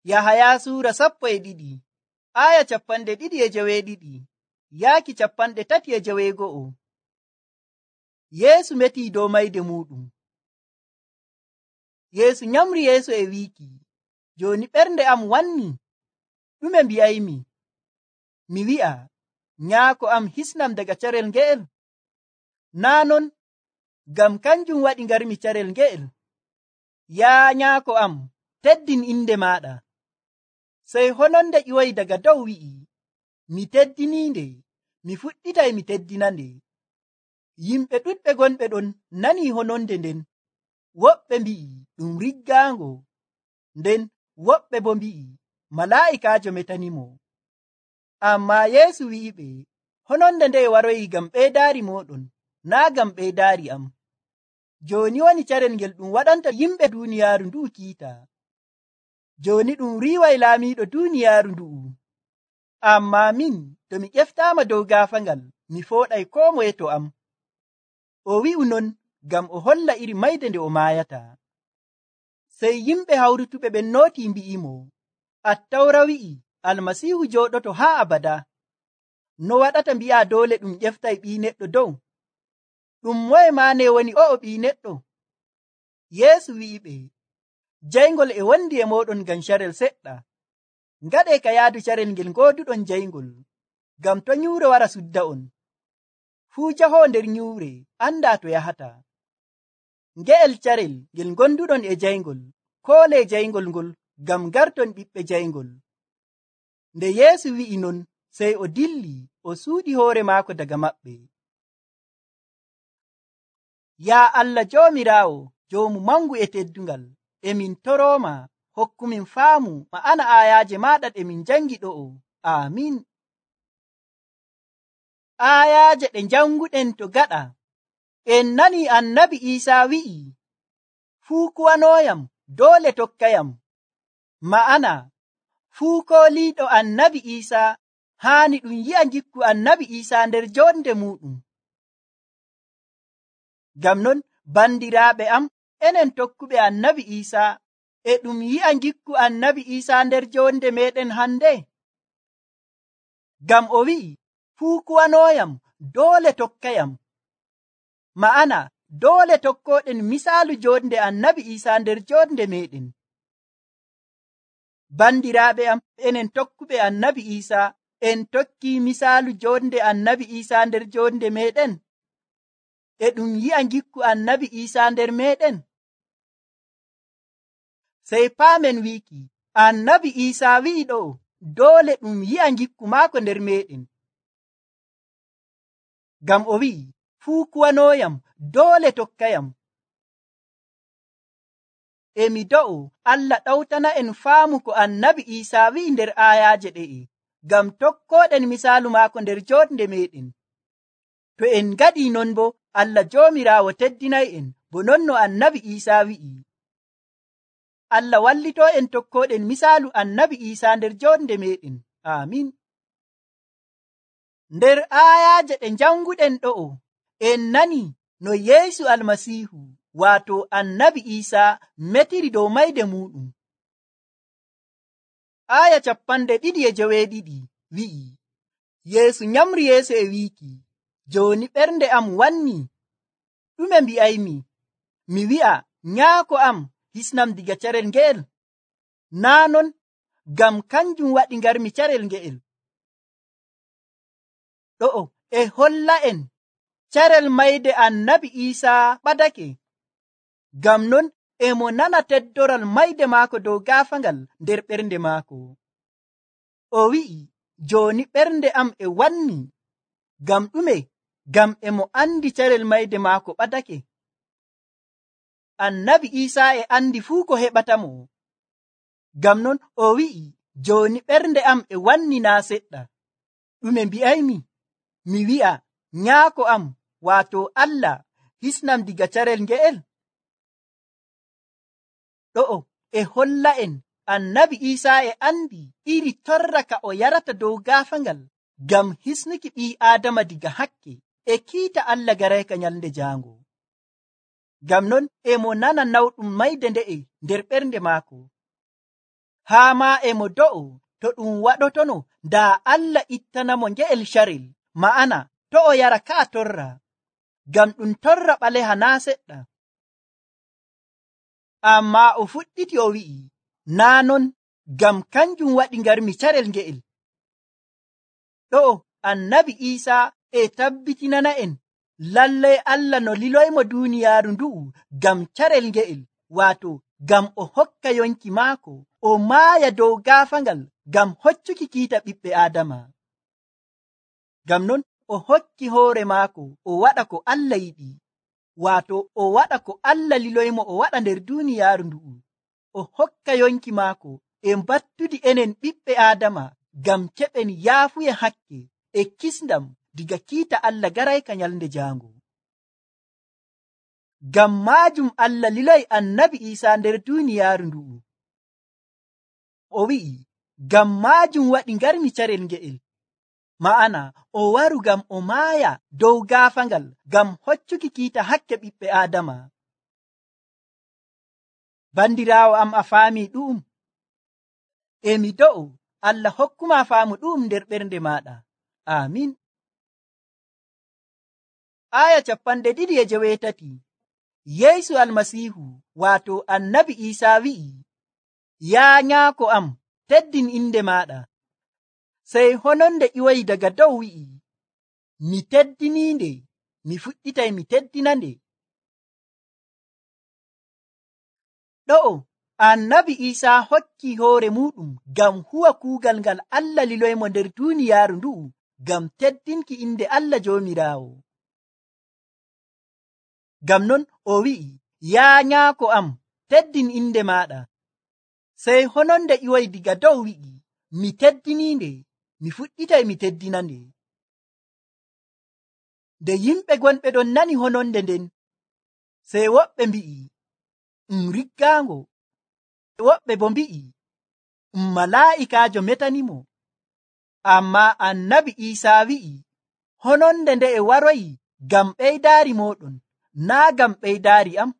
Yahaya suura 12 aya 2:12 yaaki 3:9. Yeesu metii dow mayde muɗum. Yeesu nyamri yeeso e wiiki, joni ɓernde am wanni, ɗume mbi'aymi? Mi wi'a, nyaako am hisnam daga carel nge'el? Naa non, ngam kanjum waɗi ngarmi carel nge'el. Yaa nyaako am, teddin inde maaɗa. Sey hononde ƴiwoyi daga dow wi'i, mi teddiniinde, mi fuɗɗitay mi teddinande. Yimɓe ɗuɗɓe gonɓe ɗon nanii hononde nden. Woɓɓe mbi'i ɗum riggaango, nden woɓɓe bo mbi'i malaa'ikaajo metanimo. Ammaa Yeesu wi'iɓe, hononde nde waroyi ngam ɓeydaari mooɗon, naa ngam ɓeydaari am. Jooni woni carel ngel ɗum waɗanta yimɓe duuniyaaru ndu'u kiita. Jooni ɗum riiway laamiiɗo duuniyaaru ndu'u. Ammaa min, to mi ƴeftaama dow gaafaangal, mi fooɗay koo moye to am. O wi'u non ngam o holla iri mayde nde o maayata. Sey yimɓe hawrutuɓe ɓen nootii mbi'imo, Attawra wi'i Almasiihu jooɗoto haa abada. No waɗata mbi'a doole ɗum ƴeftay ɓii neɗɗo dow? Ɗum moye maane woni o'o ɓii neɗɗo? Yeesu wi'iɓe, jayngol e wondi e mooɗon ngam carel seɗɗa. Ngaɗee ka yaadu carel ngel ngooduɗon jayngol, ngam to nyuure wara sudda on. Fuu jahoo nder nyuure andaa to yahata. Nge'el carel ngel gonduɗon e jayngol, koolee jayngol ngol ngam garton ɓiɓɓe jayngol. Nde Yeesu wi'i non, sey o dilli o suuɗi hoore maako daga maɓɓe. Yaa Allah Joomiraawo, joomu mangu e teddungal, emin torooma hokkumin faamu ma'ana aayaaje maaɗa ɗe min jangi ɗo'o. Aamin. Aayaaje ɗe janguɗen to gaɗa. En nani Annabi Iisaa wi'i, fuu kuwanooyam doole tokkayam. Ma'ana, fuu kooliiɗo Annabi Iisaa haani ɗum yi'a ngikku Annabi Iisaa nder jonde muɗum. Ngam non, bandiraaɓe am, enen tokkuɓe Annabi Iisaa, e ɗum yi'a ngikku Annabi Iisaa nder jonde meɗen hande. Ngam o wi'i, fuu kuwanooyam doole tokkayam. Ma'ana, doole tokkoɗen misaalu jonde Annabi Iisaa nder jonde meɗen. Bandiraaɓe am, enen tokkuɓe Annabi Iisaa, en tokki misaalu jonde Annabi Iisaa nder jonde meɗen? E ɗum yi'a ngikku Annabi Iisaa nder meɗen? Sey paamen wiiki, Annabi Iisaa wi'i ɗo, doole ɗum yi'a ngikku maako nder meɗen. Ngam o wi'i, fuu kuwanooyam doole tokkayam. Emi do'o Allah ɗawtana en faamu ko Annabi Iisaa wi'i nder aayaaje ɗe'e, ngam tokkoɗen misaalu maako nder jonde meɗen. To en ngaɗii non bo, Allah Joomiraawo teddinay en bo non no Annabi Iisaa wi'i. Allah wallitoo en tokkoɗen misaalu Annabi Iisaa nder jonde meɗen. Aamin. Nder aayaaje ɗe janguɗen ɗo'o, en nani no Yeesu Almasiihu, waato Annabi Iisaa, metiri dow mayde muɗum. Aya 2:9 wi'i, Yeesu nyamri yeeso e wiiki, jooni ɓernde am wanni, ɗume mbi'aymi? Mi wi'a, nyaako am, hisnam diga carel nge'el? Naa non, ngam kanjum waɗi ngarmi carel nge'el. Ɗo'o e holla en carel mayde Annabi Iisaa ɓadake. Ngam non emo nana teddoral mayde maako dow gaafangal nder ɓernde maako. O wi'i, jooni ɓernde am e wanni. Ngam ɗume? Ngam emo andi carel mayde maako ɓadake. Annabi Iisaa e andi fuu ko heɓatamo. Ngam non o wi'i, jooni ɓernde am e wanni naa seɗɗa. Ɗume mbi'aymi? Mi wi'a, nyaako am, waato Allah, hisnam diga carel nge'el? Ɗo'o e holla en Annabi Iisaa e andi iri torra ka o yarata dow gaafangal ngam hisnuki ɓii Aadama diga hakke e kiita Allah garayka nyalnde jaango. Ngam non emo nana nawɗum mayde nde'e nder ɓernde maako. haa ma e mo do'o to ɗum waɗotono daa Allah ittanamo nge'el carel, ma'ana to o yara ka'a torra, ngam ɗum torra ɓaleha naa seɗɗa. Amma o fuɗɗiti o wi'i, naa non, ngam kanjum waɗi ngarmi carel nge'el. ɗo annabi Isa e tabbitinana en lallai Allah no liloymo duniyaaru ndu'u ngam carel nge'el, waato ngam o hokka yonki maako o maaya dow gaafangal ngam hoccuki kiita ɓiɓɓe Aadama. Ngam non o hokki hoore maako o waɗa ko Allah yiɗi, waato o waɗa ko Allah liloymo o waɗa nder duniyaaru ndu'u. O hokka yonki maako e mbattudi enen ɓiɓɓe Aadama ngam keɓen yaafuye hakke e kisndam diga kiita Allah garayka nyalnde jaango. Ngam maajum Allah liloy annabi Isa nder duniyaaru ndu'u. O wi'i, ngam maajum waɗi ngarmi carel nge'el, ma'ana o waru ngam o maaya dow gaafangal ngam hoccuki kiita hakke ɓiɓɓe Aadama. Bandiraawo am, a faami ɗum? Mi do'o Allah hokkuma faamu ɗum nder ɓernde maɗa. Amin. Aya 2:8. Yeesu almasihu waato annabi Isa wi'i, yaa nyaako am, teddin inde maɗa. Sey hononde iwoyi daga dow wi'i, mi teddininde, mi fuɗɗitay mi teddinande. ɗo annabi Isa hokki hoore muɗum ngam huwa kuugal ngal Allah liloymo nder duniyaaru ndu'u ngam teddinki inde Allah Joomiraawo. Ngam non o wi'i, yaa nyaako am, teddin inde maɗa. Sey hononde iwoyi diga dow wi'i, mi teddininde, mi fuɗɗitay mi teddinande. Nde yimɓe gonɓe ɗon nani hononde nden, sey woɓɓe mbi'i, riggaango. Woɓɓe bo mbi'i, malaa'ikaajo metanimo. Amma annabi Isa wi'i, hononde nde e waroyi ngam ɓeydaari moɗon, naa ngam ɓeydaari am.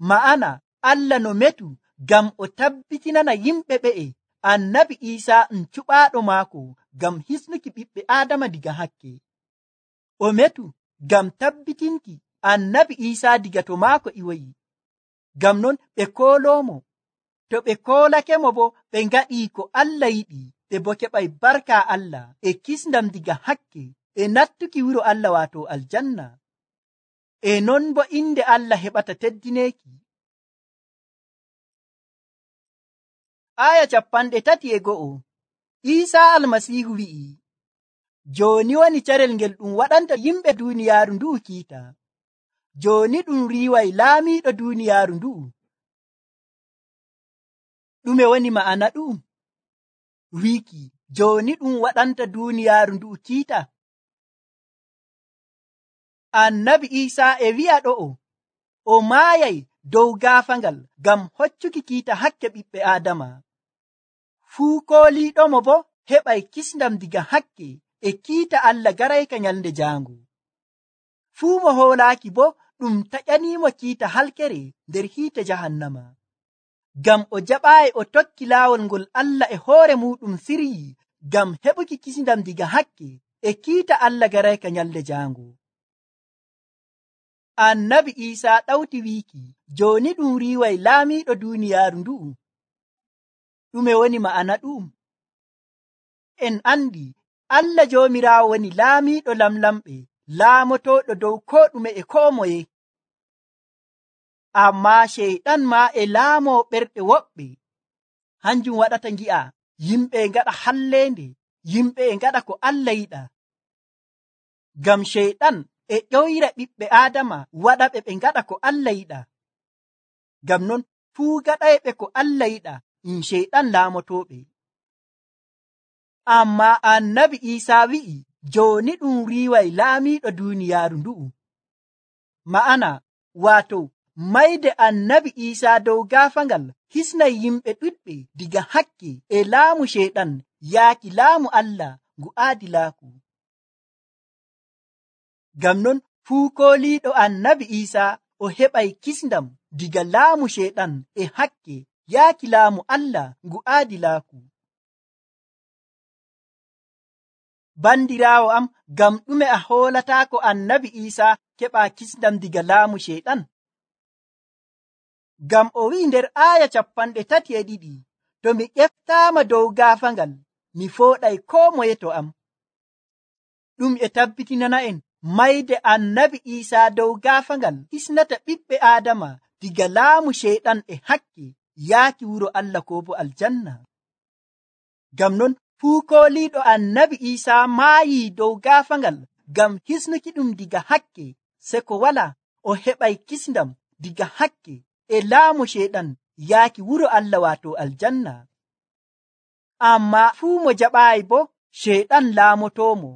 Ma'ana Allah no metu ngam o tabbitinana yimɓe ɓe'e annabi Isa cuɓaaɗo maako ngam hisnuki ɓiɓɓe Aadama diga hakke. O metu ngam tabbitinki annabi Isa diga to maako iwoyi. Ngam non ɓe kooloomo. To ɓe koolakemo bo ɓe ngaɗi ko Allah yiɗi, ɓe bo keɓay barka Allah e kisndam diga hakke e nattuki wuro Allah waato aljanna. E non bo inde Allah heɓata teddineeki. Aya 31. Isa almasihu wi'i, jooni woni carel ngel ɗum waɗanta yimɓe duniyaaru ndu'u kiita. Jooni ɗum riiway laamiiɗo duniyaaru ndu'u. Ɗume woni ma'ana ɗum? Wiiki jooni ɗum waɗanta duniyaaru ndu'u kiita. Annabi Isa e wi'a ɗo'o o maayay dow gaafangal ngam hoccuki kiita hakke ɓiɓɓe Aadama. Fuu kooliiɗomo bo heɓay kisndam diga hakke e kiita Allah garayka nyalnde jaango. Fuu mo hoolaaki bo ɗum taƴaniimo kiita halkere nder hiite jahannama. Ngam o jaɓaayi o tokki laawol ngol Allah e hoore muɗum siryi ngam heɓuki kisndam diga hakke e kiita Allah garayka nyalnde jaango. Annabi Isa ɗawti wiiki, jooni ɗum riiway laamiiɗo duniyaaru ndu'u. Ɗume woni ma'ana ɗum? En andi Allah Joomiraawo woni laamiiɗo lamlamɓe, laamotooɗo dow ko ɗume e koo moye. Amma Sheyɗan ma e laamoo ɓerɗe woɓɓe. Hanjum waɗata ngi'a yimɓe ngaɗa halleende, yimɓe e ngaɗa ko Allah yiɗa. Ngam Sheyɗan e ƴoyra ɓiɓɓe Aadama waɗa ɓe ngaɗa ko Allah yiɗa. Ngam non fuu gaɗayɓe ko Allah yiɗa Sheyɗan laamotooɓe. Amma annabi Isa wi'i, jooni ɗum riiway laamiiɗo duniyaaru ndu'u. Ma'ana waato mayde annabi Isa dow gaafangal hisnay yimɓe ɗuɗɓe diga hakke e laamu Sheyɗan yaaki laamu Allah ngu aadilaaku. Ngam non fuu kooliiɗo annabi Isa o heɓay kisndam diga laamu Sheyɗan e hakke yaaki laamu Allah ngu aadilaaku. Bandiraawo am, ngam ɗume a hoolataako annabi Iisaa keɓa kisndam diga laamu Sheyɗan? Ngam o wi'i nder aaya 32, to mi ƴeftaama dow gaafangal, mi fooɗay koo moye to am. Ɗum e tabbitinana en mayde annabi Iisaa dow gaafangal hisnata ɓiɓɓe Aadama diga laamu Sheyɗan e hakke yaaki wuro Allah ko bo aljanna. Ngam non fuu kooliiɗo annabi Iisaa maayii dow gaafangal ngam hisnuki ɗum diga hakke, se ko wala o heɓay kisndam diga hakke e laamu Sheyɗan yaaki wuro Allah waato aljanna. Amma fuu mo jaɓaayi bo, Sheyɗan laamotoomo,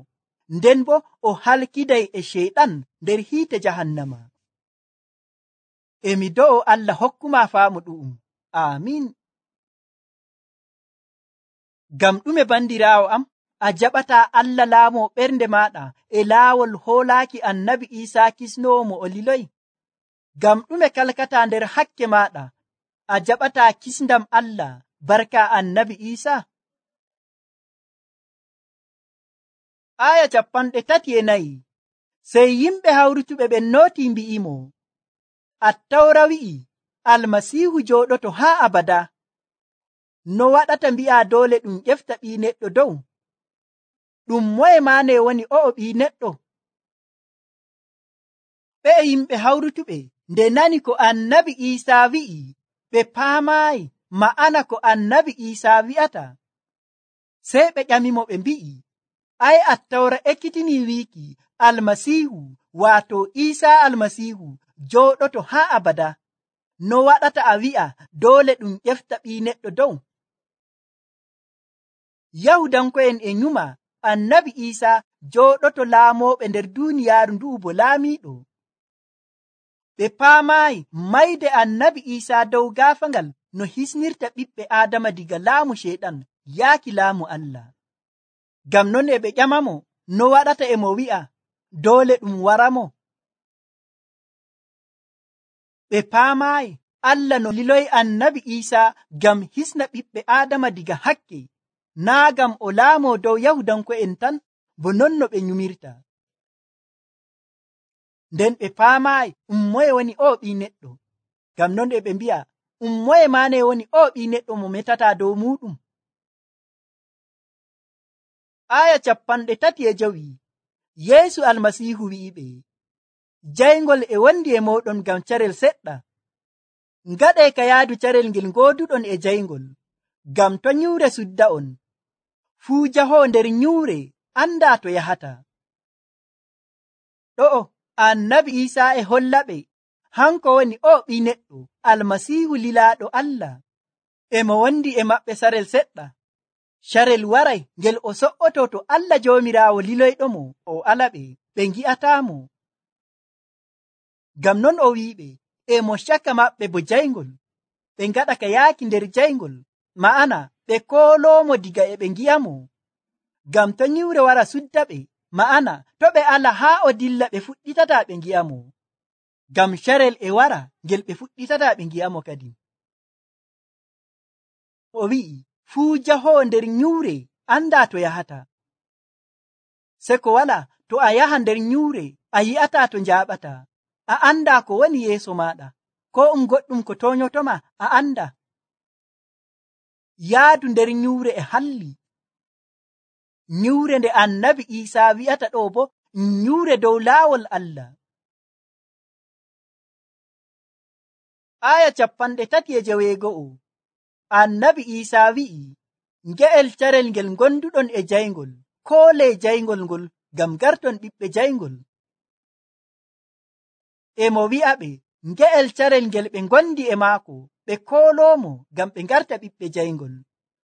nden bo o halkiday e Sheyɗan nder hiite jahannama. Emi do'o Allah hokkuma faamu ɗu'um. Amiin. Ngam ɗume bandiraawo am a jaɓataa Allah laamo ɓernde maɗa e laawol hoolaaki annabi Iisaa kisnowo mo o liloyi? Ngam ɗume kalkataa nder hakke maɗa a jaɓataa kisndam Allah barka annabi Iisaa? Aya 34. Sey yimɓe hawrutuɓe ɓen nooti mbi'imo, Attawra wi'i Almasiihu jooɗoto haa abada. No waɗata mbi'a doole ɗum ƴefta ɓii neɗɗo dow? Ɗum moye maane woni o'o ɓii neɗɗo? Ɓe yimɓe hawrutuɓe nde nani ko annabi Iisaa wi'i, ɓe paamaayi ma'ana ko annabi Iisaa wi'ata. Sey ɓe ƴamimo ɓe mbi'i, ai Attawra ekkitinii wiiki Almasiihu waato Iisaa Almasiihu jooɗoto haa abada. No waɗata a wi'a doole ɗum ƴefta ɓii neɗɗo dow? Yahudanko'en e nyuma annabi Iisaa jooɗoto laamooɓe nder duuniyaaru ndu'u bo laamiiɗo. Ɓe paamaayi mayde annabi Iisaa dow gaafangal no hisnirta ɓiɓɓe Aadama diga laamu Sheyɗan yaaki laamu Allah. Ngam non e ɓe ƴamamo no waɗata e mo wi'a doole ɗum waramo. Ɓe paamaayi Allah no liloyi annabi Iisaa ngam hisna ɓiɓɓe Aadama diga hakke, naa ngam o laamo dow Yahudanko'en tan bo non no ɓe nyumirta. Nden ɓe paamaayi moye woni o ɓii neɗɗo. Ngam non e ɓe mbi'a moye maane woni o ɓii neɗɗo mo metataa dow muɗum. Aya 35. Yeesu Almasiihu wi'iɓe, jayngol e wondi e moɗon ngam carel seɗɗa. Ngaɗe ka yaadu carel ngel gooduɗon e jayngol, ngam to nyuure sudda on. Fuu jahoo nder nyuure andaa to yahata. Ɗo'o annabi Iisaa e holla ɓe hanko woni o ɓii neɗɗo Almasiihu lilaaɗo Allah. E mo wondi e maɓɓe sarel seɗɗa. Carel waray ngel o so'oto to Allah Joomiraawo liloyɗomo o alaɓe, ɓe ngi'ataamo. Ngam non o wi'iɓe e mo caka maɓɓe bo jayngol, ɓe ngaɗa ka yaaki nder jayngol, ma'ana ɓe kooloomo diga e ɓe ngi'amo. Ngam to nyiwre wara sudda ɓe, ma'ana to ɓe ala haa o dilla ɓe fuɗɗitata ɓe ngi'amo. Ngam carel e wara ngel ɓe fuɗɗitata ɓe ngi'amo kadi. O wi'i fuu jahoo nder nyuure andaa to yahata. Se ko wala to a yaha nder nyuure a yi'ata to njaaɓata, a anda ko woni yeeso maɗa, ko goɗɗum ko toonyotoma a anda. Yaadu nder nyuure e halli. Nyuure nde annabi Iisaa wi'ata ɗo bo nyuure dow laawol Allah. Aya 39. Annabi Iisaa wi'i, nge'el carel ngel gonduɗon e jayngol, koole jayngol ngol ngam garton ɓiɓɓe jayngol. E mo wi'a ɓe nge'el carel ngel ɓe gondi e maako, ɓe kooloomo ngam ɓe garta ɓiɓɓe jayngol,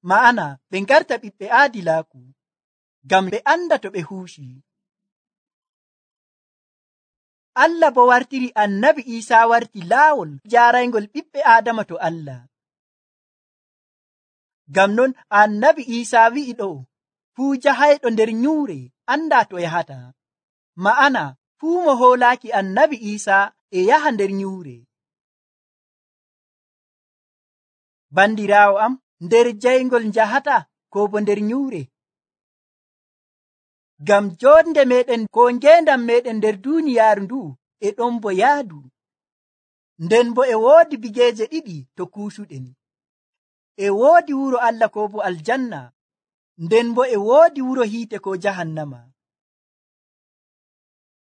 ma'ana ɓe garta ɓiɓɓe aadilaaku, ngam ɓe anda to ɓe huuci. Allah bo wartiri annabi Iisaa warti laawol jaaraygol ɓiɓɓe Aadama to Allah. Ngam non annabi Iisaa wi'i ɗo fuu jahayɗo nder nyuure andaa to yahata, ma'ana fuu mo hoolaaki annabi Iisaa e yaha nder nyuure. Bandiraawo am, nder jayngol njahata ko bo nder nyuure? Ngam jonde meɗen ko ngendam meɗen nder duniyaaru ndu e ɗon bo yaadu. Nden bo e woodi bigeeje ɗiɗi to kuusuɗen. E woodi wuro Allah ko bo aljanna, nden bo e woodi wuro hiite ko jahannama.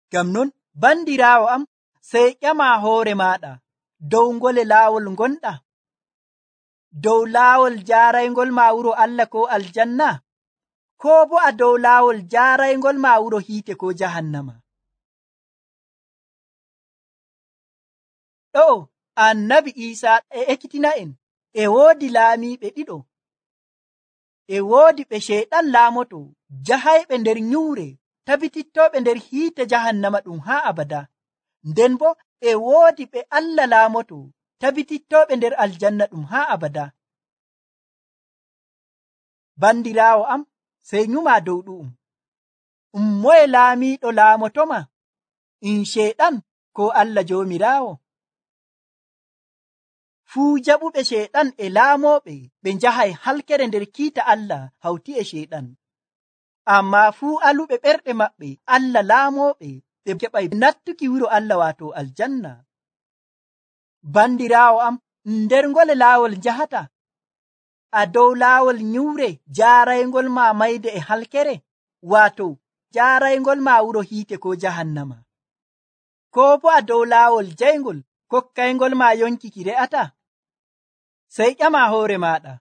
Ngam non bandiraawo am, sey ƴama hoore maɗa dow ngole laawol gonɗa, dow laawol jaaraygol ma wuro Allah ko aljanna, ko bo a dow laawol jaaraygol ma wuro hiite ko jahannama. Ɗo annabi Isa e ekkitina'en e woodi laamiiɓe ɗiɗo. E woodi ɓe Sheyɗan laamoto jahayɓe nder nyuure, tabitittoɓe nder hiite jahannama ɗum haa abada. Nden bo e woodi ɓe Allah laamoto tabitittoɓe nder aljanna ɗum haa abada. Bandiraawo am, sey nyuma dow ɗu'um. Moye laamiiɗo laamotoma? Sheyɗan ko Allah Joomiraawo? Fuu jaɓuɓe Sheyɗan e laamooɓe ɓe njahay halkere nder kiita Allah hawti e Sheyɗan. Amma fuu aluɓe ɓerɗe maɓɓe Allah laamooɓe ɓe keɓay nattuki wuro Allah waato aljanna. Bandiraawo am, nder ngole laawol njahata? A dow laawol nyuure jaaraygol ma mayde e halkere, waato jaaraygol ma wuro hiite ko jahannama? Ko bo a dow laawol jayngol kokkaygol ma yonki ki re'ata? Sey ƴama hoore maɗa,